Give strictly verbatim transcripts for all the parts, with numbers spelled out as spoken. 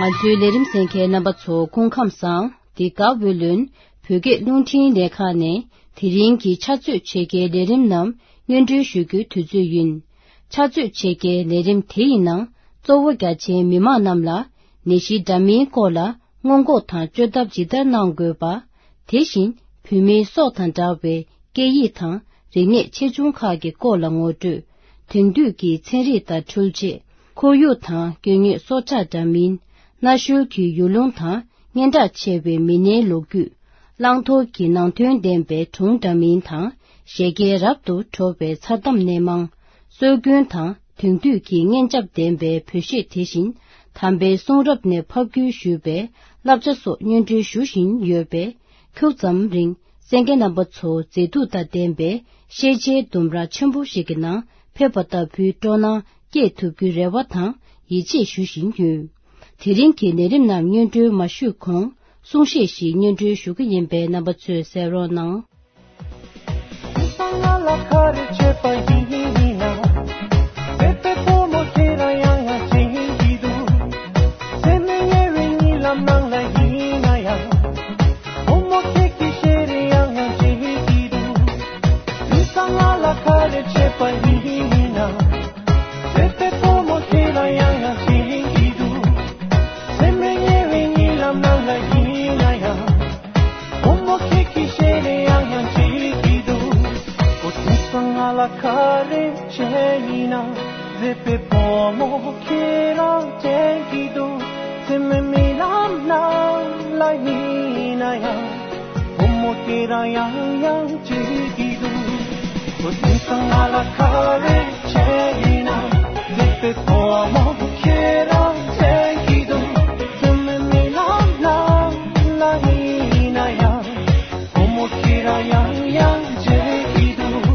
ང་ཚོའི་ལས་རིམ་གསན་མཁན་རྣམ་པ་ཚོ་སྐུ་ཁམས་བཟང་། འདི་ག་ཝེ་ལོན་བོད་སྐད་རླུང་འཕྲིན་ལས་ཁང་ནས་དེ་རིང་གི་ཕྱག་ཚོད་ཕྱེད་ཀའི་ལས་རིམ་རྣམས་སྙན་སྒྲོན་ཞུ་རྒྱུའི་དུས་ཚོད་ཡིན། ཕྱག་ཚོད་ཕྱེད་ཀའི་ལས་རིམ་དེ་ཡི་ནང་གཙོ་བོ་རྒྱ་ཆེའི་མི་མང་རྣམས་ལ་ནད་གཞི་འདྲ་མིན་སྐོར་ལ་སྔོན་འགོག་དང་བཅོས་ཐབས་ཇི་ལྟར་གནང་དགོས་པ། དེ་བཞིན་བོད་མིའི་སྲོག་དང་འདྲ་བའི་སྐད་ཡིག་དང་རིག་གནས་ཆེ་ཆུང་ཁག་གི་སྐོར་ལ་ངོ་སྤྲོད། དེང་དུས་ཀྱི་ཚན་རིག་དང་འཕྲུལ་ཆས། ཁོར་ཡུག་དང་སྐྱེ་དངོས་སྲོག་ཆགས་འདྲ་མིན། གནའ་ཤུལ་གྱི་ཡུལ་ལུང་དང་སྙན་གྲགས་ཆེ་བའི་མི་སྣའི་ལོ་རྒྱུས། བླང་དོར་གྱི་ནང་དོན་ལྡན་པའི་སྒྲུང་འདྲ་མིན་དང་། བཞད་གད་རབ་ཏུ་བྲོ་བའི་མཚར་གཏམ་སྣེ་མང་། སྲོལ་རྒྱུན་དང་དེང་དུས་ཀྱི་སྙན་འཇེབས་ལྡན་པའི་བོད་གཞས། དེ་བཞིན་དམ་པའི་གསུང་རབ་ནས་ཕབ་བསྒྱུར་ཞུས་པའི་བསླབ་བྱ་སོགས་སྙན་སྒྲོན་ཞུ་བཞིན་ཡོད་པས། ཁྱུག་ཙམ་རིང་གསན་མཁན་རྣམ་པ་ཚོ་མཛེས་སྡུག་དང་ལྡན་པའི་ཤེས་བྱའི་ལྡུམ་ར་ཆེན་པོ་ཞིག་གི་ནང་ཕེབས་པ་ལྟ་བུའི་སྤྲོ་སྣང་སྐྱེས་ཐུབ་རྒྱུའི་རེ་བ་དང་ཡིད་ཆེས་ཞུ་བཞིན་ཡོད། དེ་རིང་གི་ལས་རིམ་རྣམས་སྙན་སྒྲོན་མ་ཞུས་གོང་གསུང་བཤད་ཞིག་སྙན་སྒྲོན་ཞུ་གི་ཡིན་པས་རྣམ་པ་ཚོས་གསན་རོགས་གནང་། དེང་སང་ང་ལ་ག་རེ་བྱས་པ་ཡིན་ན། བོད་པའི་བུ་མོ་ཁྱེད་རང་ཡང་ཡང་བྱེད་ཀྱི་འདུག་སེམས་ནས་ཉེ་བའི་གཉིད་ལམ་ནང་ལ་ཡིན་ན་ཡང་། བུ་མོ་ཁྱེད་ཀྱི་ཞལ་རས་ཡང་ཡང་མཇལ་གྱི་འདུག་དེང་སང་ང་ལ་ག་རེ་བྱས་པ་ཡིན་ན། བོད་པའི་བུ་མོ་ཁྱེད་རང་ཡང་ཡང་བྱེད་ཀྱི་འདུག་སེམས་ནས་ཉེ་བའི་གཉིད་ལམ་ནང་ལ་ཡིན་ན་ཡང་། བུ་མོ་ཁྱེད་ཀྱི་ཞལ་རས་ཡང་ཡང་མཇལ་གྱི་འདུག་འོ་དེང་སང་ང་ལ་ག་རེ་བྱས་ཡིན་ན། མཛེས་པའི་བུ་མོ་ཁྱེད་རང་དྲན་གྱི་འདུག་སེམས་ནས་རྨི་ལམ་ནང་ལ་ཡིན་ན་ཡང་། བུ་མོ་ཁྱེད་རང་ཡང་ཡང་མཇལ་གྱི་འདུག་འོ་དེང་སང་ང་ལ་ག་རེ་བྱས་ཡིན་ན། མཛེས་པའི་བུ་མོ་ཁྱེད་རང་དྲན་གྱི་འདུག་སེམས་ནས་རྨི་ལམ་ནང་ལ་ཡིན་ན་ཡང་། བུ་མོ་ཁྱེད་རང་ཡང་ཡང་མཇལ་གྱི་འདུག་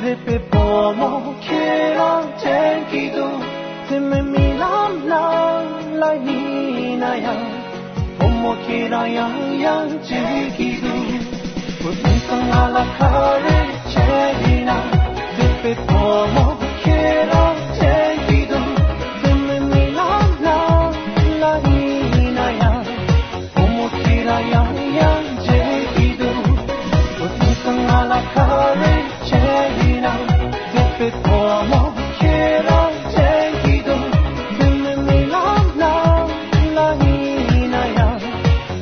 རེད་པས་བུ་མོ་ཁྱེད་རང་དྲན་གྱི་འདུག་དེ་མིན་རྨི་ལམ་ནང་ལ་ཡིན་ན་ཡང་། བུ་མོ་ཁྱེད་རང་ཡང་ཡང་མཇལ་གྱི་འདུག་དེང་སང་ང་ལ་ག་རེ་བྱས་ཡིན་ན། རེད་པས་བུ་མོ་ཁྱེད་རང་དྲན་གྱི་འདུག་དེ་མིན་རྨི་ལམ་ནང་ལ་ཡིན་ན་ཡང་། བུ་མོ་ཁྱེད་རང་ཡང་ཡང་མཇལ་གྱི་འདུག་དེང་སང་ང་ལ་ག་རེ་བྱས་ཡིན་ན། རེད་པས་བུ་མོ་ཁྱེད་རང་དྲན་གྱི་འདུག་དེ་མིན་རྨི་ལམ་ནང་ལ་ཡིན་ན་ཡང་།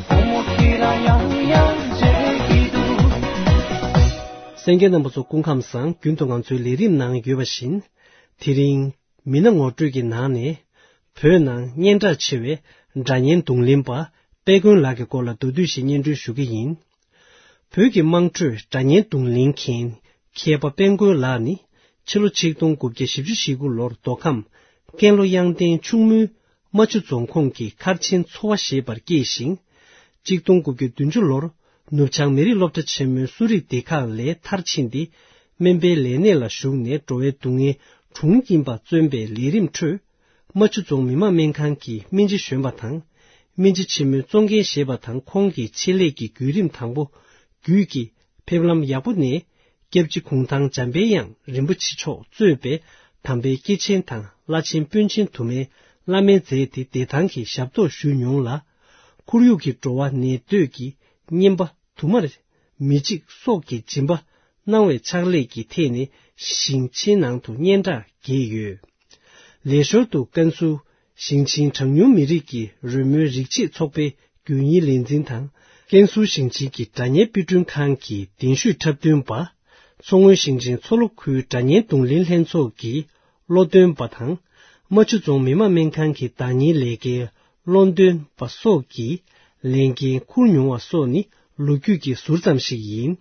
བུ་མོ་ཁྱེད་རང་ཡང་ཡང་མཇལ་གྱི་འདུག་གསན་མཁན་རྣམ་པ་ཚོ་སྐུ་ཁམས་བཟང་། རྒྱུན་དུ་ང་ཚོའི་ལས་རིམ་ནང་ཡོད་པ་བཞིན། དེ་རིང་མི་སྣ་ངོ་སྤྲོད་ཀྱི་ནང་ནས། བོད་ནང་སྙན་གྲགས་ཆེ་བའི་སྒྲ་སྙན་རྡུང་ལེན་པ་དཔལ་མགོན་ལགས་ཀྱི་སྐོར་ལ་མདོར་བསྡུས་ཤིག་སྙན་སྒྲོན་ཞུ་གི་ཡིན། བོད་ཀྱི་དམངས་ཁྲོད་སྒྲ་སྙན་རྡུང་ལེན་མཁན་མཁས་པ་དཔལ་མགོན་ལགས་ནི། ཕྱི་ལོ་ཆིག་སྟོང་དགུ་བརྒྱ་བཞི་བཅུ་ཞེ་དགུ་ལོར་མདོ་ཁམས་ཀན་ལྷོ་གཡང་ལྡན་ཕྱུག་མོའི་རྨ་ཆུ་རྫོང་ཁོངས་ཀྱི་མཁར་ཆེན་ཚོ་བ་ཞེས་པར་སྐྱེས་ཤིང་། ཆིག་སྟོང་དགུ་བརྒྱ་བདུན་ཅུ་ལོར་ནུབ་བྱང་མི་རིགས་སློབ་གྲྭ་ཆེན་མོའི་གསོ་རིག་སྡེ་ཁག་ལས་མཐར་ཕྱིན་ཏེ། སྨན་པའི་ལས་གནས་ལ་ཞུགས་ནས་འགྲོ་བའི་སྡུག་བསྔལ་གྲོངས་ཡིན་པ་བརྩོན་པའི་ལས་རིམ་ཁྲོད། རྨ་ཆུ་རྫོང་མི་དམངས་སྨན་ཁང་གི་སྨན་སྤྱི་གཞོན་པ་དང་། སྨན་སྤྱི་ཆེན་མོའི་གཙོ་འགན་བཞེས་པ་དང་། ཁོང་གི་ཆེད་ལས་ཀྱི་བརྒྱུད་རིམ་དང་པོ་བརྒྱུད་ཀྱིས་ཕེབས་ལམ་ཡག་པོ་ནས། སྐྱབས་རྗེ་གུང་ཐང་འཇམ་དཔལ་དབྱངས་རིན་པོ་ཆེ་མཆོག་གཙོས་པའི་དམ་པའི་སྐྱེས་ཆེན་དང་བླ་ཆེན་དཔོན་ཆེན་དུ་མའི་བླ་སྨན་མཛད་དེ་བདེ་ཐང་གི་ཞབས་ཏོག་ཞུས་མྱོང་ལ། ཁོར་ཡུག་གི་འགྲོ་བ་ནད་གདོད་ཀྱི་རྔན་པ་དུ་མར་མི་འཇིགས་སྲོག་གི་སྦྱིན་པ་གནང་བའི་ཕྱག་ལས་ཀྱི་ཐད་ནས་ཞིང་ཆེན་ནང་དུ་སྙན་གྲགས་རྒྱས་ཡོད། ལས་ཞོར་དུ་ཀན་སུའུ་ཞིང་ཆེན་གྲངས་ཉུང་མི་རིགས་ཀྱི་རོལ་མོའི་རིག་བྱེད་ཚོགས་པའི་རྒྱུན་ཡིན་ལས་འཛིན་དང་། ཀན་སུའུ་ཞིང་ཆེན་གྱི་སྒྲ་སྙན་དཔེ་སྐྲུན་ཁང་གི་གདན་ཞུས་འཁྲབ་སྟོན་པ། མཚོ་སྔོན་ཞིང་ཆེན་མཚོ་ལྷོ་ཁུལ་སྒྲ་སྙན་རྡུང་ལེན་ལྷན་ཚོགས་ཀྱི་བློ་འདོན་པ་དང་། རྨ་ཆུ་རྫོང་མི་དམངས་སྨན་ཁང་གི་བདག་གཉེར་ལས་ཀའི་བློ་འདོན་པ་སོགས་ཀྱི་ལས་འགན་འཁུར་མྱོང་བ་སོགས་ནི་ལོ་རྒྱུས་ཀྱི་ཟུར་ཙམ་ཞིག་ཡིན།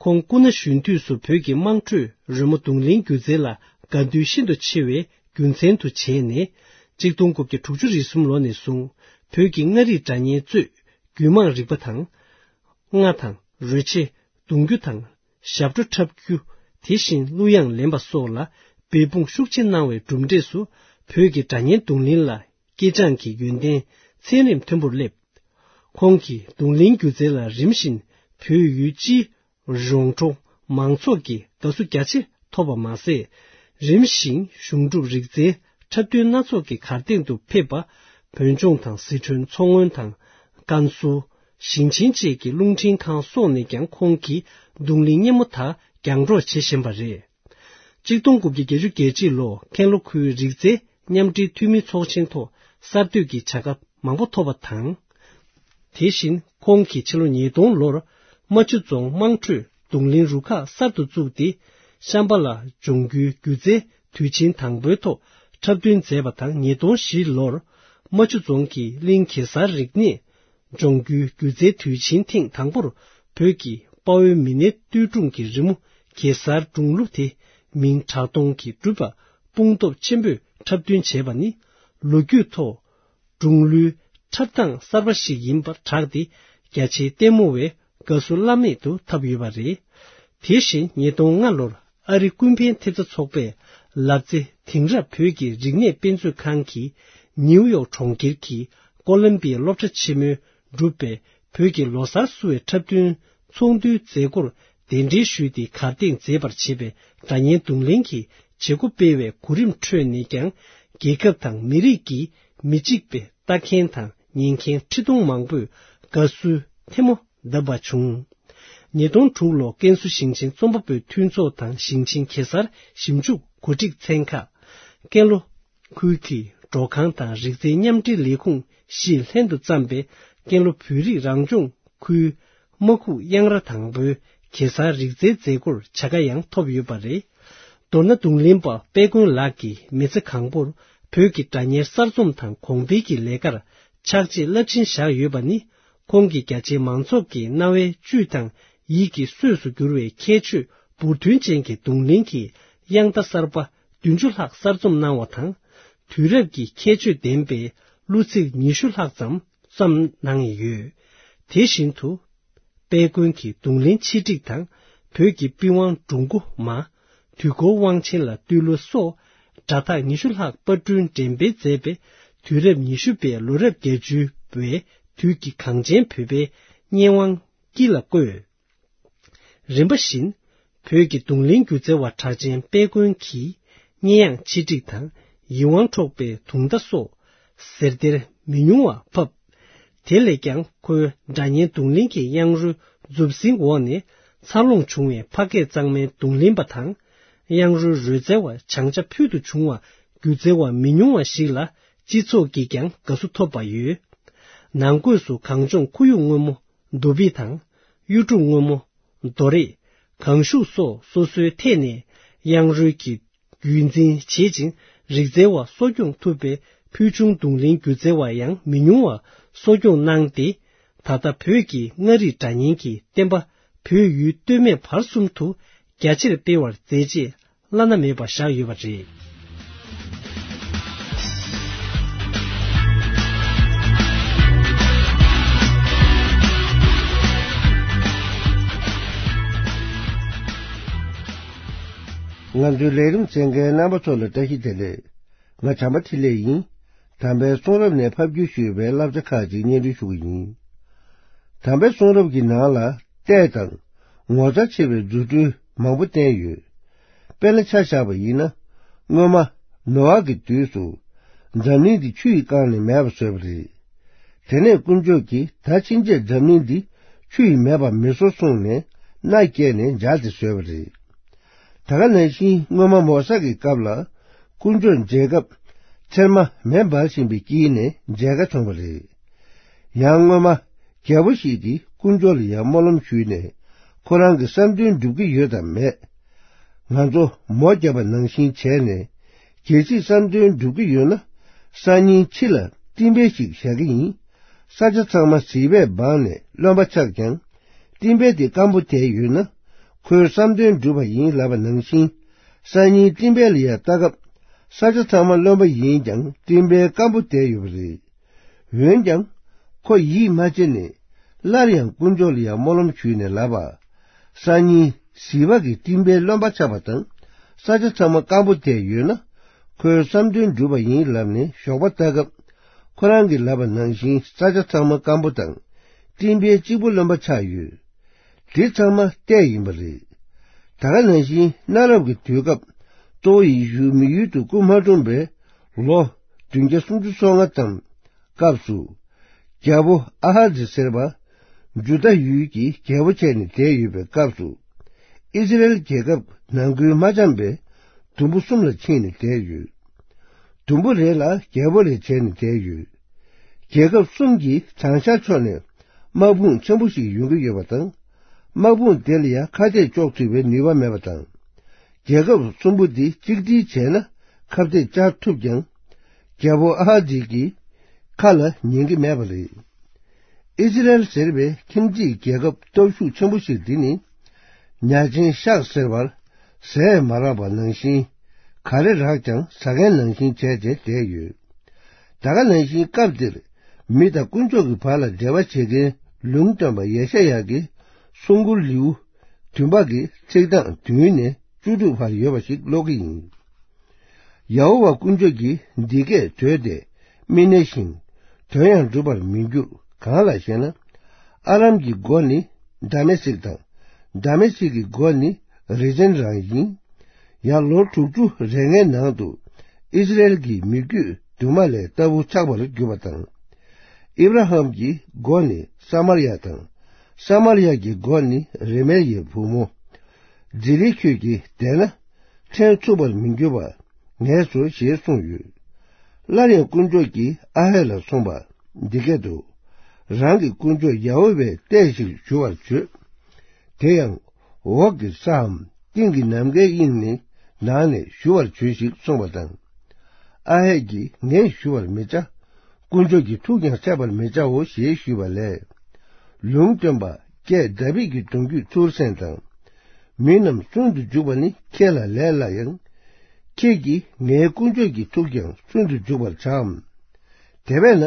ཁོང་སྐུ་ན་གཞོན་དུས་སུ་བོད་ཀྱི་དམངས་ཁྲོད་རོལ་མོ་རྡུང་ལེན་སྒྱུ་རྩལ་ལ་དགའ་འདུན་ཤིན་ཏུ་ཆེ་བའི་རྒྱུ་མཚན་དུ་བྱས་ནས། ཆིག་སྟོང་དགུ་བརྒྱ་དྲུག་ཅུ་རེ་གསུམ་ལོ་ནས་བཟུང་བོད་ཀྱི་མངའ་རིས་སྒྲ་སྙན་གཙོས་རྒྱུད་མང་རིག་པ་དང་། རྔ་དང་རོལ་ཆས་རྡུང་རྒྱུ་དང་། ཞབས་བྲོ་འཁྲབ་རྒྱུ། དེ་བཞིན་གླུ་དབྱངས་ལེན་པ་སོགས་ལ་འབད་འབུངས་ཤུགས་ཆེ་གནང་བའི་གྲུབ་འབྲས་སུ། བོད་ཀྱི་སྒྲ་སྙན་རྡུང་ལེན་ལ་སྐྱེས་སྦྱངས་ཀྱི་ཡོན་ཏན་ཚད་རིམ་མཐོན་པོར་སླེབས། ཁོང་གིས་རྡུང་ལེན་སྒྱུ་རྩལ་ལ་རིམ་བཞིན་བོད་ཡུལ་སྤྱིའི་རོང་འབྲོག་མང་ཚོགས་ཀྱི་དགའ་བསུ་རྒྱ་ཆེ་ཐོབ་པ་མ་ཟད། རིམ་བཞིན་གཞུང་སྒྲུབ་རིག་རྩལ་འཁྲབ་སྟོན་སྣ་ཚོགས་ཀྱི་གར་སྟེགས་སུ་ཕེབས་པ། བོད་ལྗོངས་དང་། སི་ཁྲོན། མཚོ་སྔོན་དང་། ཀན་སུའུ། ཞིང་ཆེན་བཅས་ཀྱི་རླུང་འཕྲིན་ཁང་སོགས་ནས་ཀྱང་ཁོང་གི་རྡུང་ལེན་སྙན་མོ་དག་རྒྱང་སྒྲོག་བྱེད་བཞིན་པ་རེད། ཆིག་སྟོང་དགུ་བརྒྱ་བརྒྱད་ཅུ་གྱ་གཅིག་ལོ་ཀན་ལྷོ་ཁུལ་རིག་རྩལ་མཉམ་འབྲེལ་འཐུས་མིའི་ཚོགས་ཆེན་ཐོག་གསར་གཏོད་ཀྱི་བྱ་དགའ་མང་པོ་ཐོབ་པ་དང་། དེ་བཞིན་ཁོང་གིས་ཕྱི་ལོ་ཉིས་སྟོང་ལོར་རྨ་ཆུ་རྫོང་དམངས་ཁྲོད་རྡུང་ལེན་རུ་ཁག་གསར་དུ་བཙུགས་ཏེ། ཤམ་བྷ་ལ་ལྗོངས་རྒྱུའི་སྒྱུ་རྩལ་དུས་ཆེན་དང་པོའི་ཐོག་འཁྲབ་སྟོན་མཛད་པ་དང་། ཉིས་སྟོང་བཞི་ལོར་རྨ་ཆུ་རྫོང་གི་གླིང་གེ་སར་རིག་གནས་ལྗོངས་རྒྱུའི་སྒྱུ་རྩལ་དུས་ཆེན་ཐེངས་དང་པོར་བོད་ཀྱི་དཔའ་བོའི་མི་སྣའི་བསྟོད་སྒྲུང་གི་རི་མོ་གེ་སར་སྒྲུང་གླུ་དེ་མིང་གྲགས་སྟོང་གིས་གྲུབ་པ་དཔུང་སྟོབས་ཆེན་པོས་འཁྲབ་སྟོན་བྱས་པ་ནི་ལོ་རྒྱུས་ཐོག་སྒྲུང་གླུའི་འཁྲབ་སྟངས་གསར་པ་ཞིག་ཡིན་པར་གྲགས་ཏེ། རྒྱ་ཆེའི་ལྟད་མོ་བས་དགའ་བསུ་བླ་མེད་དུ་ཐོབ་ཡོད་པ་རེད། དེ་བཞིན་ཉིས་སྟོང་ལྔ་ལོར་ཨ་རི་ཀུན་ཕན་ཐེབས་རྩ་ཚོགས་པས་ལབ་ཙེ་དེང་རབས་བོད་ཀྱི་རིག་གནས་དཔེ་མཛོད་ཁང་གིས་ནིའུ་ཡོག་གྲོང་ཁྱེར་གྱི་ཀོ་ལམ་བི་ཡ་སློབ་གྲྭ་ཆེན་མོའི་འགྲུབ་པའི་བོད་ཀྱི་ལོ་གསར་བསུ་བའི་འཁྲབ་སྟོན་ཚོགས་འདུའི་མཛད་སྒོར་གདན་འདྲེན་ཞུས་ཏེ་གར་སྟེགས་མཛེས་པར་བྱེད་པའི་སྒྲ་སྙན་རྡུང་ལེན་གྱི་བྱེད་སྒོ་སྤེལ་བའི་གོ་རིམ་ཁྲོད་ནས་ཀྱང་། རྒྱལ་ཁབ་དང་མི་རིགས་ཀྱི་མི་གཅིག་པའི་ལྟ་མཁན་དང་ཉན་མཁན་ཁྲི་སྟོང་མང་པོས་དགའ་བསུའི་ཐལ་མོ་བརྡབས་པ་བྱུང་། ཉིས་སྟོང་དྲུག་ལོ་ཀན་སུའུ་ཞིང་ཆེན་རྩོམ་པ་པོའི་མཐུན་ཚོགས་དང་ཞིང་ཆེན་གེ་སར་ཞིབ་འཇུག་གོ་སྒྲིག་ཚན་ཁག་ཀན་ལྷོ་ཁུལ་གྱི་མགྲོན་ཁང་དང་རིག་རྩལ་མཉམ་འབྲེལ་ལས་ཁུངས་བཞིས་ལྷན་དུ་བརྩམས་པའི་ཀན་ལྷོ་བོད་རིགས་རང་སྐྱོང་ཁུལ་རྨ་ཁུག་གཡང་ར་དང་པོའི་གེ་སར་རིག་རྩལ་མཛད་སྒོར་བྱ་དགའ་ཡང་ཐོབ་ཡོད་པ་རེད། མདོར་ན་རྡུང་ལེན་པ་དཔལ་མགོན་ལགས་ཀྱིས་མི་ཚེ་གང་པོར་བོད་ཀྱི་སྒྲ་སྙན་གསར་རྩོམ་དང་གོང་འཕེལ་གྱི་ལས་ཀར་ཕྱག་རྗེས་རླབས་ཆེན་བཞག་ཡོད་པ་ནི། ཁོང་གིས་རྒྱ་ཆེའི་མང་ཚོགས་ཀྱི་རྣ་བའི་བཅུད་དང་ཡིད་ཀྱི་གསོས་སུ་གྱུར་བའི་ཁྱད་ཆོས་འབུར་ཐོན་ཅན་གྱི་རྡུང་ལེན་གྱི་དབྱངས་རྟ་གསར་པ་བདུན་ཅུ་ལྷག་གསར་རྩོམ་གནང་བ་དང་། དུས་རབས་ཀྱི་ཁྱད་ཆོས་ལྡན་པའི་གླུ་ཚིག་ཉི་ཤུ་ལྷག་ཙམ་རྩོམ་གནང་ཡོད། དེ་བཞིན་དུ། དཔལ་མགོན་གྱི་རྡུང་ལེན་ཆེད་སྒྲིག་དང་། བོད་ཀྱི་པི་ཝང་སྒྲུང་མགོ་མ། དུས་འཁོར་དབང་ཆེན་ལ་བསྟོད་གླུ་སོགས་སྒྲ་ཐག་ཉི་ཤུ་ལྷག་པར་སྐྲུན་འགྲེམས་སྤེལ་མཛད་པས། དུས་རབས་ཉི་ཤུ་པའི་ལོ་རབས་བརྒྱད་ཅུའི་བའི་དུས་ཀྱི་གངས་ཅན་བོད་པའི་སྙན་དབང་དཀྱིལ་ལ་བཀོད། རིམ་པ་བཞིན། བོད་ཀྱི་རྡུང་ལེན་སྒྱུ་རྩལ་བ་གྲགས་ཅན་དཔལ་མགོན་གྱིས་སྙན་དབྱངས་ཆེད་སྒྲིག་དང་ཡིད་དབང་འཕྲོག་པའི་དུང་བརྡ་སོགས་ཟེར་སྡེར་མི་ཉུང་བ་ཕབ། དེ་ལས་ཀྱང་ཁོའི་སྒྲ་སྙན་རྡུང་ལེན་གྱི་དབྱངས་རོལ་མཛུབ་སྲིན་འོག་ནས་འཚར་ལོངས་བྱུང་བའི་ཕ་སྐད་གཙང་མའི་རྡུང་ལེན་པ་དང་། དབྱངས་རོལ་རོལ་རྩལ་བ་བྱང་ཆ་ཕུལ་དུ་བྱུང་བ་སྒྱུ་རྩལ་བ་མི་ཉུང་བ་ཞིག་ལ་སྤྱི་ཚོགས་ཀྱིས་ཀྱང་དགའ་བསུ་ཐོབ་པ་ཡོད། ནང་སྒོས་སུ་གངས་ལྗོངས་ཁོར་ཡུག་སྔོན་མོ། རྡོ་སྦིས་དང་། གཡུ་འབྲུག་སྔོན་མོ། རྡོ་རེག་གངས་ཤུག་སོགས་སོ་སོའི་ཐད་ནས་དབྱངས་རོལ་གྱི་རྒྱུན་འཛིན་བྱེད་ཅིང་། རིག་རྩལ་བ་གསོ་སྐྱོང་ཐུབ་པའི་ཕུལ་བྱུང་རྡུང་ལེན་སྒྱུ་རྩལ་བ་ཡང་མི་ཉུང་བ་གསོ་སྐྱོང་གནང་སྟེ། ད་ལྟ་བོད་ཀྱི་མངའ་རིས་སྒྲ་སྙན་གྱི་བསྟན་པ་བོད་ཡུལ་སྟོད་སྨད་བར་གསུམ་དུ་རྒྱ་ཆེར་སྤེལ་བར་མཛད་རྗེས་བླ་ན་མེད་པ་བཞག་ཡོད་པ་རེད། ང་ཚོའི་ལས་རིམ་གསན་མཁན་རྣམ་པ་ཚོ་ལ་བཀྲ་ཤིས་བདེ་ལེགས། ང་བྱམས་པ་འཕྲིན་ལས་ཡིན། དམ་པའི་གསུང་རབ་ནས་ཕབ་བསྒྱུར་ཞུས་པའི་བསླབ་བྱ་ཁག་ཅིག་སྙན་སྒྲོན་ཞུ་གི་ཡིན། དམ་པའི་གསུང་རབ་ཀྱི་ནང་ལ་ལྟས་དང་ངོ་མཚར་ཆེ་བའི་རྫུ་འཕྲུལ་མང་པོ་བསྟན་ཡོད། དཔེར་ན་ཆ་བཞག་པ་ཡིན་ན། སྔོན་མ་ནོ་ཨ་གི་དུས་སུ་འཛམ་གླིང་འདི་ཆུ་ཡིས་བཀང་ནས་མེད་པ་བཟོས་པ་རེད། དེ་ནས་དཀོན་མཆོག་གིས་ད་ཕྱིན་ཆད་འཛམ་གླིང་འདི་ཆུ་ཡིས་མེད་པ་མི་བཟོ་གསུངས་ནས་མནའ་བསྐྱལ་ནས་མཇལ་ཏེ་བཟོས་པ་རེད། ད་ག་ནང་བཞིན་སྔོན་མ་མོ་ས་གི་སྐབས་ལ་དཀོན་མཆོག་མཇལ་སྐབས་ཚེར་མ་མེ་འབར་བཞིན་པའི་དཀྱིལ་ནས་མཇལ་ཁ་བྱུང་བ་རེད། ཡང་སྔོན་མ་རྒྱལ་པོ་ཞིག་གིས་དཀོན་མཆོག་ལ་ཡང་སྨོན་ལམ་ཞུས་ནས་ཁོ་རང་གི་བསམ་དོན་འགྲུབ་ཀྱི་ཡོད་དམ་མེད། ང་ཚོ་མོ་བརྒྱབ་པ་ནང་བཞིན་བྱས་ནས་གལ་སྲིད་བསམ་དོན་འགྲུབ་ཀྱི་ཡོད་ན་སང་ཉིན་ཕྱི་ལ་སྤྲིན་པ་ཞིག་བཞག་གི་ཡིན། ས་ཆ་ཚང་མ་ཟིལ་པས་སྦངས་ནས་རློན་པ་ཆགས་ཀྱང་། སྤྲིན་པ་དེ་སྐམ་པོ་བསྡད་ཡོད་ན། ཁོའི་བསམ་དོན་འགྲུབ་པ་ཡིན་ལབ་པ་ནང་བཞིན། སང་ཉིན་སྤྲིན་པ་ལ་ཡར་ལྟ་སྐབས། ས་ཆ་ཚང་མ་རློན་པ་ཡིན་ཀྱང་སྤྲིན་པ་སྐམ་པོ་བསྡད་ཡོད་པ་རེད། འོན་ཀྱང་། ཁོ་ཡིད་མ་ཆེས་ནས། སླར་ཡང་དཀོན་མཆོག་ལ་ཡང་སྨོན་ལམ་ཞུས་ནས་ལབ་པ། སང་ཉིན་ཟིལ་པ་གིས་སྤྲིན་པའི་རློན་པ་ཆགས་པ་དང་། ས་ཆ་ཚང་མ་སྐམ་པོ་བསྡད་ཡོད་ན། ཁོའི་བསམ་དོན་འགྲུབ་པ་ཡིན་ལབ་ནས་ཞོགས་པ་ལྟ་སྐབས། ཁོ་རང་གིས་ལབ་པ་ནང་བཞིན་ས་ཆ་ཚང་མ་སྐམ་པོ་དང་། སྤྲིན་པའི་གཅིག་པུ་རློན་པ་ཆགས་ཡོད། དེ་ཚང་མ་ལྟས་ཡིན་པ་རེད། ད་ག་ནང་བཞིན་གནའ་རབས་ཀྱི་དུས་སྐབས་གཙོ་བོ་ཡེ་ཤུ་མི་ཡུལ་དུ་སྐུ་མ་འཁྲུངས་པའི་ལོ་བདུན་བརྒྱ་སུམ་ཅུ་སོ་ལྔ་ཙམ་སྐབས་སུ། རྒྱལ་པོ་ཨ་ཧ་ཛི་ཟེར་བ་ཇུ་དཱ་ཡུལ་གྱི་རྒྱལ་པོ་བྱས་ནས་བསྡད་ཡོད་པའི་སྐབས་སུ། ཨི་ཟི་རེལ་རྒྱལ་ཁབ་ནང་ཁུལ་མ་འཆམ་པའི་དུམ་བུ་གསུམ་ལ་ཕྱིན་ནས་བསྡད་ཡོད། དུམ་བུ་རེ་ལ་རྒྱལ་པོ་རེ་བྱས་ནས་བསྡད་ཡོད། རྒྱལ་ཁབ་གསུམ་གྱི་བྱང་ཤར་ཕྱོགས་ནས་དམག་དཔུང་ཆེན་པོ་ཞིག་ཡོང་གི་ཡོད་པ་དང་། དམག་དཔུང་དེ་ལ་ཡང་ཁ་གཏད་གཅོག་ཐུབ་པའི་ནུས་པ་མེད་པ་དང་། རྒྱལ་ཁབ་གསུམ་པོ་འདི་གཅིག་སྒྲིལ་བྱས་ན་ཁ་གཏད་བཅག་ཐུབ་ཀྱང་། རྒྱལ་པོ་ཨ་ཧ་ཛི་གི་ཁ་ལ་ཉན་གྱི་མེད་པ་རེད། ཨི་ཟི་རེལ་ཟེར་བའི་ཁྱིམ་མཚེས་རྒྱལ་ཁབ་སྟོབས་ཤུགས་ཆེན་པོ་ཞིག་འདི་ནི། ཉ་ཆེན་ཤག་ཟེར་བར་ཟས་མ་རག་པ་ནང་བཞིན། ག་རེ་རག་ཀྱང་ཟ་མཁན་ནང་བཞིན་བྱས་བྱས་བསྡད་ཡོད། ད་ག་ནང་བཞིན་སྐབས་འདིར་མི་དང་དཀོན་མཆོག་གི་བར་ལ་འབྲེལ་བ་བྱེད་མཁན་ལུང་སྟོན་པ་ཡེ་ཤ་ཡ་གི་གསུང་མགུར་ལེའུ་བདུན་པ་གི་ཚིག་གྲངས་བདུན་ནས་བཅུ་དྲུག་བར་ཡོད་པ་ཞིག་ཀློག་གི་ཡིན། ཡ་ཧོ་ཝཱ་དཀོན་མཆོག་གིས་འདི་སྐད་བརྗོད་དེ་མི་གནས་ཤིང་། དོན་ཡང་འགྲུབ་པར་མི་འགྱུར། གང་ལགས་ཤེ་ན། ཨ་རམ་གྱི་མགོ་ནི་དཱ་མེ་སིག་དང་། དཱ་མེ་སིག་གི་མགོ་ནི་རི་ཛན་རང་ཡིན། ཡང་ལོ་དྲུག་ཅུ་རེ་ལྔའི་ནང་དུ་ཨིསི་རཱཨེལ་གྱི་མི་རྒྱུད་དུ་མ་ལས་ལྟ་བུ་ཆགས་པར་གྱུར་པ་དང་། ཨིབ་ར་ཧམ་གྱི་མགོ་ནི་ས་མར་ཡ་དང་། ས་མར་ཡ་གྱི་མགོ་ནི་རེ་མེལ་ཡའི་བུ་མོ། ཛི་ལི་ཁྱོད་ཀྱིས་བསྡད་ན། ཕྲན་ཚུགས་པར་མི་འགྱུར་བ་ངས་སོ་ཞེས་གསུངས་ཡོད། སླར་ཡང་དཀོན་མཆོག་གིས་ཨ་ཧད་ལ་གསུངས་པ་འདི་སྐད་དུ། རང་གི་དཀོན་མཆོག་ཡ་ཧོ་ཝཱའི་ལྟས་ཤིག་ཞུ་བར་བྱོས། དེ་ཡང་འོག་གི་སའམ་སྟེང་གི་ནམ་མཁའི་དབྱིངས་ནི་ནང་ནས་ཞུ་བར་བྱོས་ཤིག་གསུངས་པ་དང་། ཨ་ཧད་ཀྱིས་ངས་ཞུ་བར་མི་བྱ། དཀོན་མཆོག་གི་ཐུགས་ཀྱང་འཆད་པར་མི་བྱའོ་ཞེས་ཞུས་པ་ལས། ལུང་སྟོན་པ་ཀྱེ་དཱ་བིད་ཀྱི་གདུང་རྒྱུད་ཚུར་གསན་དང་། མི་རྣམས་སུན་དུ་འཇུག་པ་ནི་ཁྱེད་ལ་ལས་སླ་ཡང་། ཁྱེད་ཀྱིས་ངའི་དཀོན་མཆོག་གི་ཐུགས་ཀྱང་སུན་དུ་འཇུག་པར་བྱའམ། དེ་བས་ན།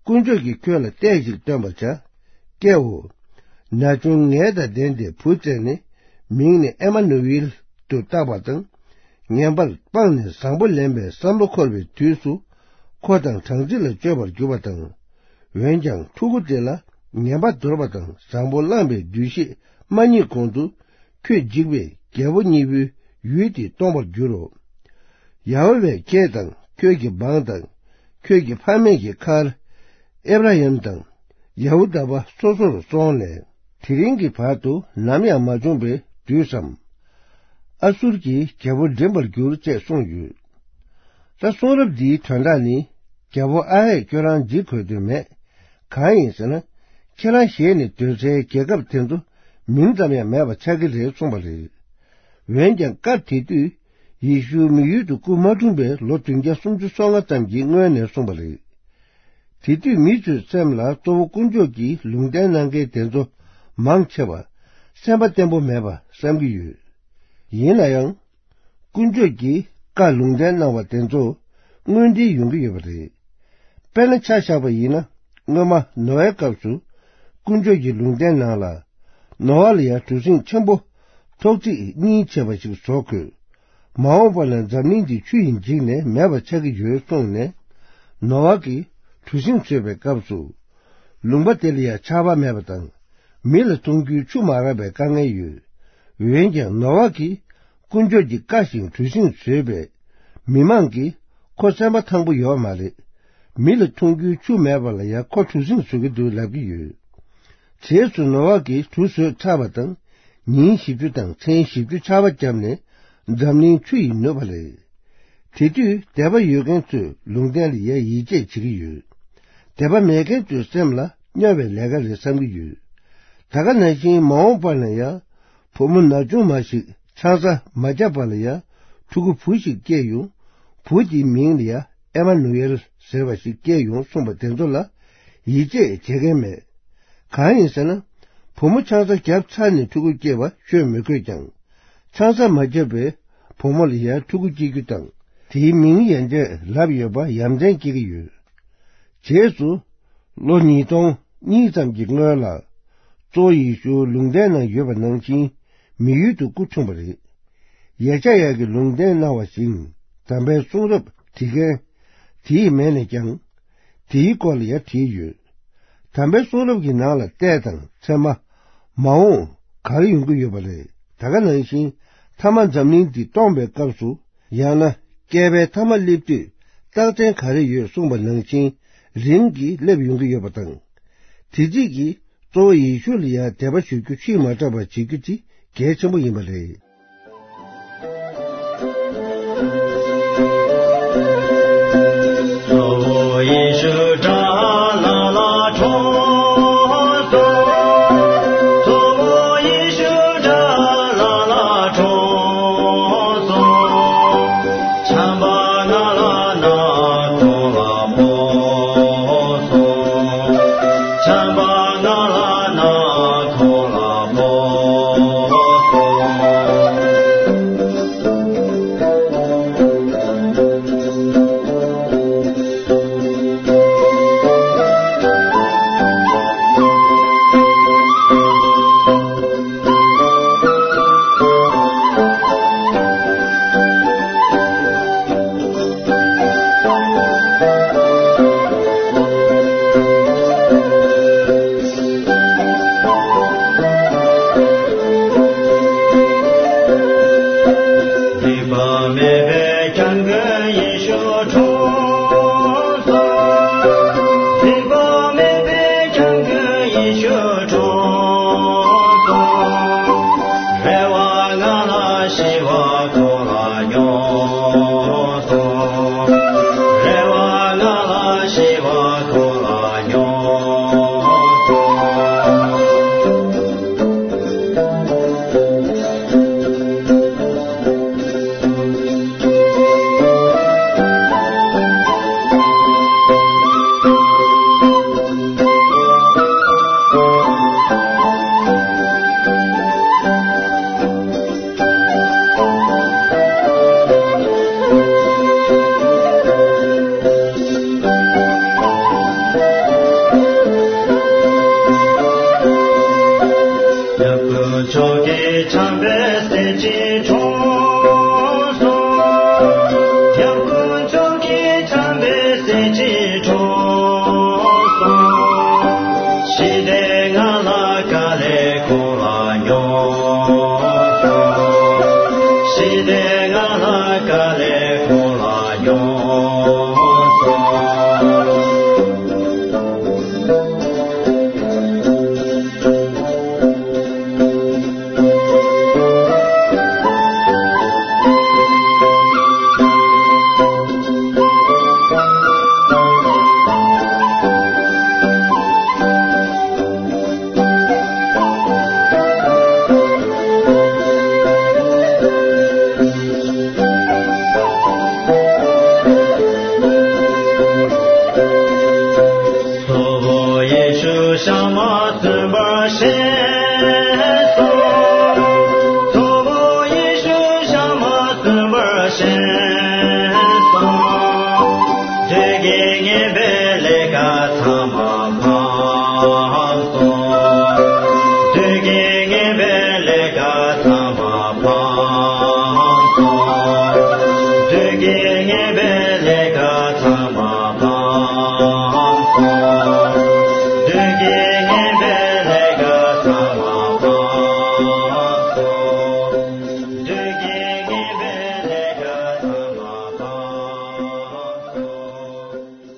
དཀོན་མཆོག་གིས་ཁྱོད་ལ་ལྟས་ཤིག་སྟོན་པར་བྱ། ཀྱེའོ། ན་ཆུང་ངལ་དང་ལྡན་ཏེ་བུ་བཙས་ནས་མིང་ནི་ཨེ་མ་ནུ་ཨེལ་ ཏུ་བཏགས་པ་དང་། ངན་པར་སྤངས་ནས་བཟང་པོ་ལེན་པའི་བསམ་བློ་འཁོར་བའི་དུས་སུ། འཁོར་དང་གྲངས་ཚད་ལ་སྤྱོད་པར་འགྱུར་བ་དང་། འོན་ཀྱང་ཕྲུ་གུ་དེ་ལ་ངན་པ་དོར་བ་དང་བཟང་པོ་བླངས་པའི་འདུ་ཤེས་མ་རྙེད་གོང་དུ། ཁྱོད་འཇིགས་པས་རྒྱལ་པོ་གཉིས་པོའི་ཡུལ་དེ་སྟོངས་པར་འགྱུར་རོ། ཡ་ཧོ་ཝཱས་ཁྱེད་དང་ཁྱོད་ཀྱི་འབངས་དང་ཁྱོད་ཀྱི་ཕ་མེས་ཀྱི་མཁར། ཨེབ་ར་ཧམ་དང་ཡ་ཧུ་དཱ་པ་སོ་སོར་སོང་ནས། དེ་རིང་གི་བར་དུ་ནམ་ཡང་མ་བྱུང་བའི་དུས་སམ། ཨ་སུར་གྱི་རྒྱལ་པོ་འགྲིམ་པར་འགྱུར་ཅེས་གསུངས་ཡོད། ད་གསུང་རབ་འདིའི་དོན་དག་ནི། རྒྱལ་པོ་ཨ་ཧས་ཁྱོད་རང་འཇིགས་དགོས་དོན་མེད། གང་ཡིན་ཟེར་ན། ཁྱེད་རང་ཞལ་ནས་འདོན་སའི་རྒྱལ་ཁབ་དེ་ཚོ་མིང་ཙམ་ཡང་མེད་པ་ཆགས་ཀྱི་རེད་གསུངས་པ་རེད། འོན་ཀྱང་སྐབས་དེ་དུས་ཡེ་ཤུ་མི་ཡུལ་དུ་སྐུ་མ་འཁྲུངས་པའི་ལོ་བདུན་བརྒྱ་སུམ་ཅུ་སོ་ལྔ་ཙམ་གྱི་སྔོན་ནས་གསུངས་པ་རེད། དེ་དུས་མི་ཚོའི་སེམས་ལ་གཙོ་བོ་དཀོན་མཆོག་གིས་ལུང་བསྟན་གནང་མཁན་དེ་ཚོ་མང་ཆེ་བ་སེམས་པ་བརྟན་པོ་མེད་པ་བསམ་གྱི་ཡོད། ཡིན་ན་ཡང་། དཀོན་མཆོག་གིས་བཀའ་ལུང་བསྟན་གནང་བ་དེ་ཚོ་དངོས་འབྲེལ་ཡོང་གི་ཡོད་པ་རེད། དཔེར་ན་ཆ་བཞག་པ་ཡིན་ན། སྔོན་མ་ནོ་ཨའི་སྐབས་སུ་དཀོན་མཆོག་གི་ལུང་བསྟན་ནང་ལ། ནོ་ཨ་ལ་ཡང་གྲུ་གཟིངས་ཆེན་པོ་ཐོག་བརྩེགས་གཉིས་བྱས་པ་ཞིག་བཟོ་དགོས། མ་འོངས་པ་ན་འཛམ་གླིང་འདི་ཆུ་ཡིས་འཇིག་ནས་མེད་པ་ཆགས་ཀྱི་ཡོད་གསུངས་ནས། ནོ་ཨ་གིས་གྲུ་གཟིངས་བཟོས་པའི་སྐབས་སུ། ལུང་པ་དེ་ལ་ཡང་ཆར་པ་མེད་པ་དང་། མི་ལ་འཐུང་རྒྱུའི་ཆུ་མ་རག་པའི་དཀའ་ངལ་ཡོད། འོན་ཀྱང་ནོ་ཨ་གིས་དཀོན་མཆོག་གི་བཀའ་བཞིན་གྲུ་གཟིངས་བཟོས་པས། མི་མང་གིས་ཁོ་སེམས་པ་ཐང་པོ་ཡོད་མ་རེད། མི་ལ་འཐུང་རྒྱུའི་ཆུ་མེད་པ་ལ་ཡང་ཁོ་གྲུ་གཟིངས་བཟོ་གི་འདུག་ལབ་ཀྱི་ཡོད། རྗེས་སུ་ནོ་ཨ་གིས་གྲུ་བཟོས་ཚར་བ་དང་། ཉིན་བཞི་བཅུ་དང་མཚན་བཞི་བཅུ་ཆར་པ་བརྒྱབ་ནས་འཛམ་གླིང་ཆུ་ཡིས་ནུབ་པ་རེད། དེ་དུས་དད་པ་ཡོད་མཁན་ཚོས་ལུང་བསྟན་ལ་ཡང་ཡིད་ཆེས་བྱེད་ཀྱི་ཡོད། དད་པ་མེད་མཁན་ཚོའི་སེམས་ལ་སྨྱོ་བའི་ལས་ཀ་རེད་བསམ་གྱི་ཡོད། ད་ག་ནང་བཞིན་མ་འོངས་པ་ན་ཡང་བུ་མོ་ན་ཆུང་མ་ཞིག་ཆང་ས་མ་བརྒྱབ་པ་ལ་ཡང་ཕྲུ་གུ་བུ་ཞིག་སྐྱེས་ཡོང་། བུ་དེའི་མིང་ལ་ཡང་ཨེ་མ་ནུ་ཨེལ་ཟེར་བ་ཞིག་སྐྱེས་ཡོང་གསུངས་པ་དེ་ཚོ་ལ་ཡིད་ཆེས་བྱེད་མཁན་མེད། གང་ཡིན་ཟེར་ན། བུ་མོ་ཆང་ས་བརྒྱབ་ཚར་ནས་ཕྲུ་གུ་སྐྱེ་བ་ཤོད་མི་དགོས་ཀྱང་། ཆང་ས་མ་བརྒྱབ་པའི་བུ་མོ་ལ་ཡང་ཕྲུ་གུ་སྐྱེ་རྒྱུ་དང་། དེའི་མིང་ཡན་ཆད་ལབ་ཡོད་པ་ཡ་མཚན་སྐྱེ་གི་ཡོད། རྗེས་སུ། ལོ་ཉིས་སྟོང་གཉིས་ཙམ་གྱི་སྔོན་ལ། གཙོ་བོ་ཡེ་ཤུ་ལུང་བསྟན་ནང་ཡོད་པ་ནང་བཞིན་མི་ཡུལ་དུ་སྐུ་འཁྲུངས་པ་རེད། ཡེ་ཤ་ཡ་གིས་ལུང་བསྟན་གནང་བ་བཞིན་དམ་པའི་གསུང་རབ་བྲིས་མཁན་དེའི་མིང་ནས་ཀྱང་དེའི་སྐོར་ལ་ཡང་བྲིས་ཡོད། དམ་པའི་གསུང་རབ་ཀྱི་ནང་ལ་ལྟས་དང་མཚན་མ། མ་འོངས་ག་རེ་ཡོང་གི་ཡོད་པ་རེད། ད་ག་ནང་བཞིན་མཐའ་མ་འཛམ་གླིང་འདི་སྟོངས་པའི་སྐབས་སུ། ཡང་ན་བསྐལ་པའི་མཐའ་མ་སླེབས་དུས་རྟགས་མཚན་ག་རེ་ཡོད་གསུངས་པ་ནང་བཞིན་རིམ་གྱིས་སླེབས་ཡོང་གི་ཡོད་པ་དང་། དེ་རྗེས་ཀྱི་གཙོ་བོ་ཡེ་ཤུ་ལ་ཡང་དད་པ་ཞུ་རྒྱུ་ཕྱིར་མ་བསྐྲད་པར་བྱེད་རྒྱུ་དེ་གལ་ཆེན་པོ་ཡིན་པ་རེད།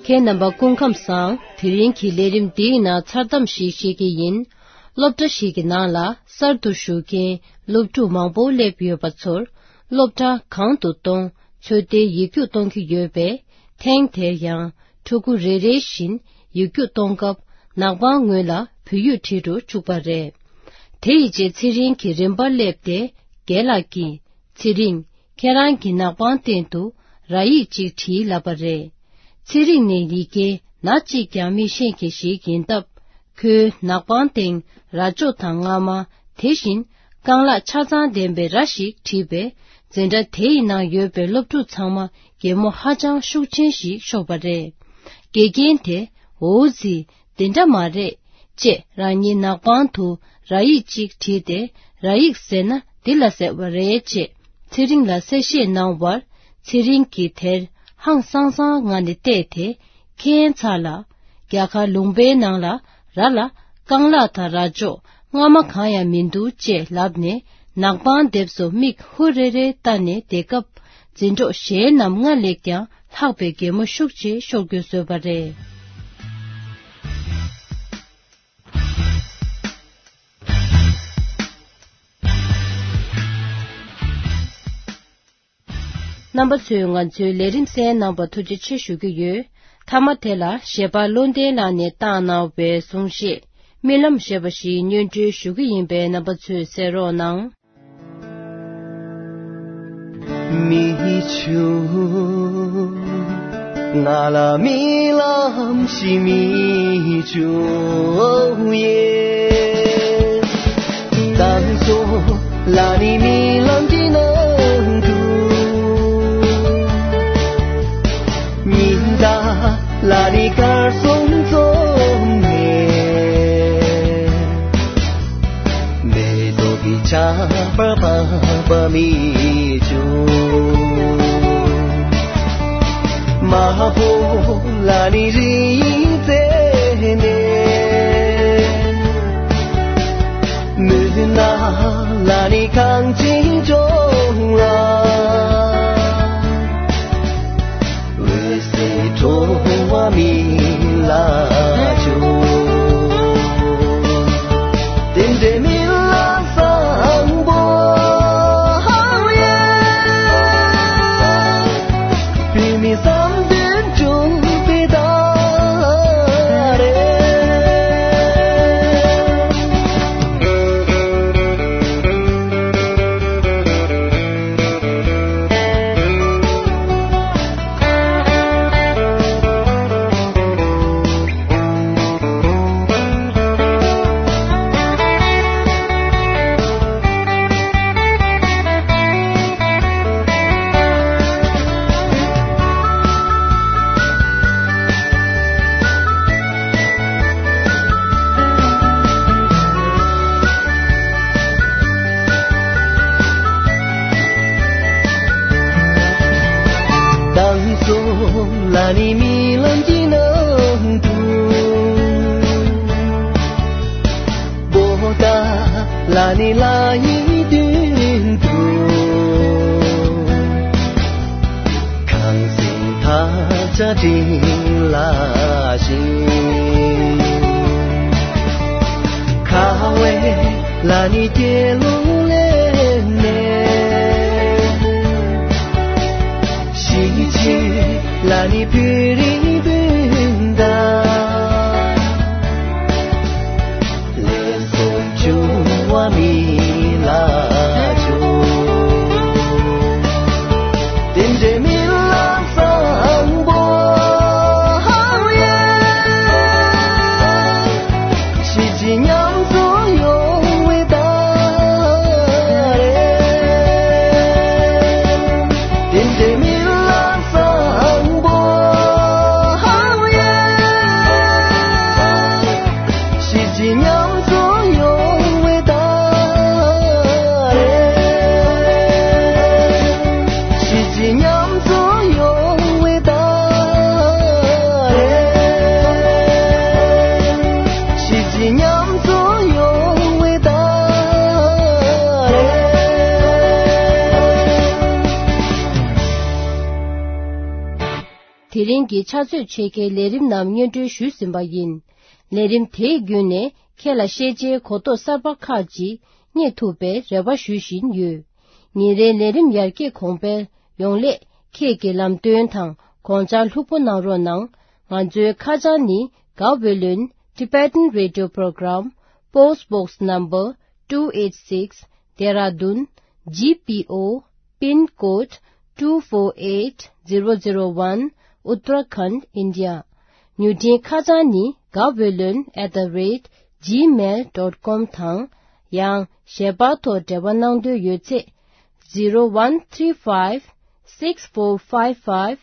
ཁྱེད་རྣམ་པ་སྐུ་ཁམས་བཟང་། དེ་རིང་གི་ལས་རིམ་འདིའི་ནང་མཚར་གཏམ་ཞིག་བཤད་ཀྱི་ཡིན། སློབ་གྲྭ་ཞིག་གི་ནང་ལ་གསར་དུ་ཞུགས་མཁན་སློབ་ཕྲུག་མང་པོ་སླེབས་ཡོད་པ་ཚོར་སློབ་གྲྭ་གང་དུ་གཏོང་ཚོད་ལྟའི་ཡིག་རྒྱུགས་གཏོང་གི་ཡོད་པས། ཐེངས་དེར་ཡང་ཕྲུ་གུ་རེ་རེ་བཞིན་ཡིག་རྒྱུགས་གཏོང་སྐབས་ནག་པང་ངོས་ལ་བོད་ཡིག་བྲིས་འགྲོ་བཅུག་པ་རེད། དེ་ཡི་རྗེས་ཚེ་རིང་གི་རིམ་པར་སླེབས་ཏེ་རྒན་ལགས་ཀྱིས། ཚེ་རིང་། ཁྱེད་རང་གི་ནག་པང་སྟེང་དུ་ར་ཡིག་ཅིག་བྲིས་ལབ་པ་རེད། ཚེ་རིང་ནི་ཡི་གེ་སྣ་གཅིག་ཀྱང་མི་ཤེས་མཁན་ཞིག་ཡིན་སྟབས། ཁོའི་ནག་པང་སྟེང་ར་ཅོ་དང་རྔ་མ། དེ་བཞིན་རྐང་ལག་ཆ་ཚང་ལྡན་པའི་ར་ཞིག་བྲིས་པས། འཛིན་གྲྭ་དེ་ཡི་ནང་ཡོད་པའི་སློབ་ཕྲུག་ཚང་མ་གད་མོ་ཧ་ཅང་ཤུགས་ཆེན་ཞིག་ཤོར་བ་རེད། དགེ་རྒན་དེ། འོ་ཙི། དེ་འདྲ་མ་རེད། ཅེས་རང་ཉིད་ནག་པང་དུ་ར་ཡིག་ཅིག་བྲིས་ཏེ། ར་ཡིག་ཟེར་ན་འདི་ལ་ཟེར་བ་རེད། ཅེས་ཚེ་རིང་ལ་གསལ་བཤད་གནང་བར། ཚེ་རིང་གིས་དེར་ཧང་སང་སང་ངང་ནས་བལྟས་ཏེ། ཁྱད་མཚར་ལ། རྒྱ་གར་ལུང་པའི་ནང་ལ་ར་ལ་རྐང་ལག་དང་ར་ཅོ། རྔ་མ་གང་ཡང་མི་འདུག་ཅེས་ལབ་ནས། ནག་པང་ལྡེབས་སུ་མིག་ཧུར་རེ་རེ་བལྟས་ནས་བསྡད་སྐབས། འཛིན་གྲོགས་གཞན་རྣམས་སྔར་ལས་ཀྱང་ལྷག་པའི་གད་མོ་ཤུགས་ཆེ་ཤོར་དགོས་བཟོས་པ་རེད། རྣམ་པ་ཚོས་ང་ཚོའི་ལས་རིམ་གསན་གནང་བར་ཐུགས་རྗེ་ཆེ་ཞུ་གི་ཡོད། མཐའ་མ་དེ་ལ་གཞས་པ་བློ་ལྡན་ལགས་ནས་བཏང་གནང་བའི་གསུང་བཤད། རྨི་ལམ་ཞེས་པ་ཞིག་སྙན་སྒྲོན་ཞུ་གི་ཡིན་པས། རྣམ་པ་ཚོས་གསན་རོགས་གནང་། མི་བྱུང་། ང་ལ་རྨི་ལམ་ཞིག་མི་བྱུང་ཡེ། དང་སོ་ལ་ནི་རྨི་ལམ་གྱི་ནང་དུ། ཉི་ཟླ་ལ་ནི་གར་སོང་ཙོག་ནས། མེ་ཏོག་གི་ཆར་པ་བབས་པ་མི་བྱུང་། མ་ཧོ་ལ་ནི་རི་རྩེ་ནས། མུན་ནག་ལ་ནི་གངས་ཅན་ལྗོངས་ལ། འོད་ཟེར་འཕྲོ་བ་མི་ལ་བྱུང་། དེ་འདྲའི་རྨི་ལམ་བཟང་པོ་ཧའོ་ཡེ། བུད་མེད་བསམ་དོན་འབྱུང་པའི་ཟླ་རེད། དང་སོ་ལ་ནི་རྨི་ལམ་གྱི་ནང་དུ། པོ་ཏ་ལ་ནི་ལ་ཡི་མདུན་དུ། དྲིན་ལ་ཞིང་། ཁ་བའི་ལ་ནི་སྐྱེ་ལུང་ལས་ནས། ཤི་ཆེ་ལ་ནི་བི་རི་བུན་ད། ལས་སུ་བྱུང་བ་མི་ལ་བྱུང་། དེ་འདྲའི་མི་ལ་བཟང་པོ་ཧ་ཡ། ཤི་ཅི་ཉམས་སུ་ཡོང་བའི་ད་རེ། དེ་འདྲའི་མི་ལ་བཟང་པོ་ཧ་ཡ། ཤི་ཅི་ཉམས་སུ་ཡོང་བའི་ད་རེ། ཤི་ཅི་ཉམས་སུ་ཡོང་བའི་ད་རེ། ཤི་ཅི་ཉམས་སུ་ཡོང་བའི་ད་རེ། དེ་རིང་གི་ཕྱག་ཚོད་ཕྱེད་ཀའི་ལས་རིམ་རྣམས་སྙན་སྒྲོན་ཞུས་ཟིན་པ་ཡིན། ལས་རིམ་དེའི་བརྒྱུད་ནས་ཁྱེད་ལ་ཤེས་བྱའི་གོ་རྟོགས་གསར་པ་ཁག་ཅིག་རྙེད་ཐུབ་པའི་རེ་བ་ཞུ་བཞིན་ཡོད། ཉིན་རེའི་ལས་རིམ་ཡར་རྒྱས་གོང་འཕེལ་ཡོང་སླད་ཁྱེད་ཀྱི་ལམ་སྟོན་དང་དགོངས་འཆར་ལྷུག་པོ་གནང་རོགས་གནང་། ང་ཚོའི་ཁ་བྱང་ནི། Gaweylon Tibetan Radio Program, Post Box Number two eight six, Dehradun G P O, Pin Code two four eight zero zero one, Uttarakhand, India. མྱུར་འཕྲིན་ཁ་བྱང་ནི། gaweylon at the rate gmail dot com དང་། ཡང་ཞལ་པར་ཐོག་འབྲེལ་བ་གནང་འདོད་ཡོད་ཚེ། zero one three five six four five five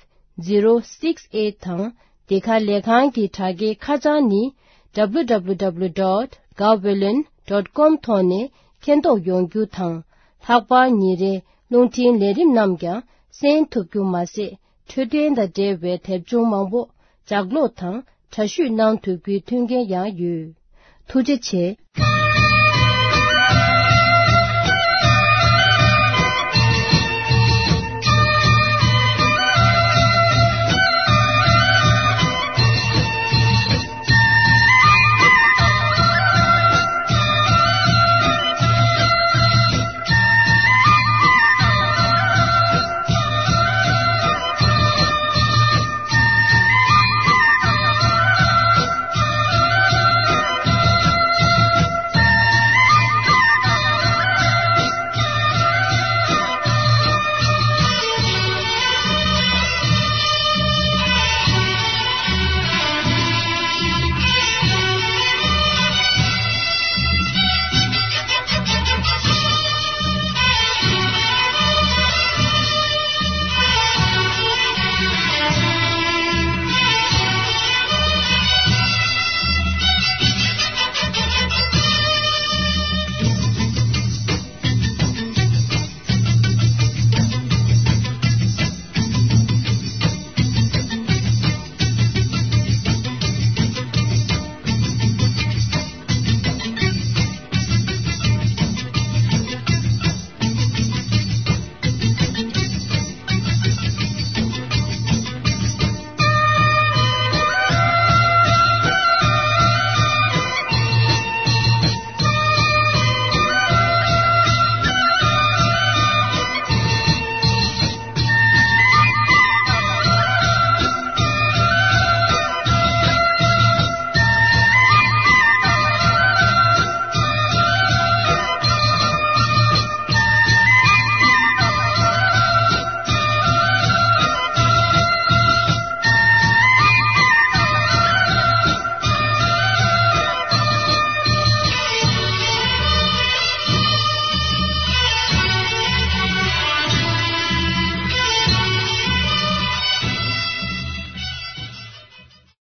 zero six eight དང་། འདི་ག་ལས་ཁང་གི་དྲ་རྒྱའི་ཁ་བྱང་ནི། W W W dot gaweylon dot com ཐོག་ནས་མཁྱེན་རྟོགས་ཡོང་རྒྱུ་དང་། ལྷག་པར་ཉིན་རེའི་རླུང་འཕྲིན་ལས་རིམ་རྣམས་ཀྱང་གསན་ཐུབ་རྒྱུ་མ་ཟད། འཕྲོད་བསྟེན་དང་འབྲེལ་བའི་དེབ་ཆུང་མང་པོ་ལྗགས་ཀློག་དང་འདྲ་བཤུས་གནང་ཐུབ་རྒྱུའི་མཐུན་རྐྱེན་ཡང་ཡོད། ཐུགས་རྗེ་ཆེ།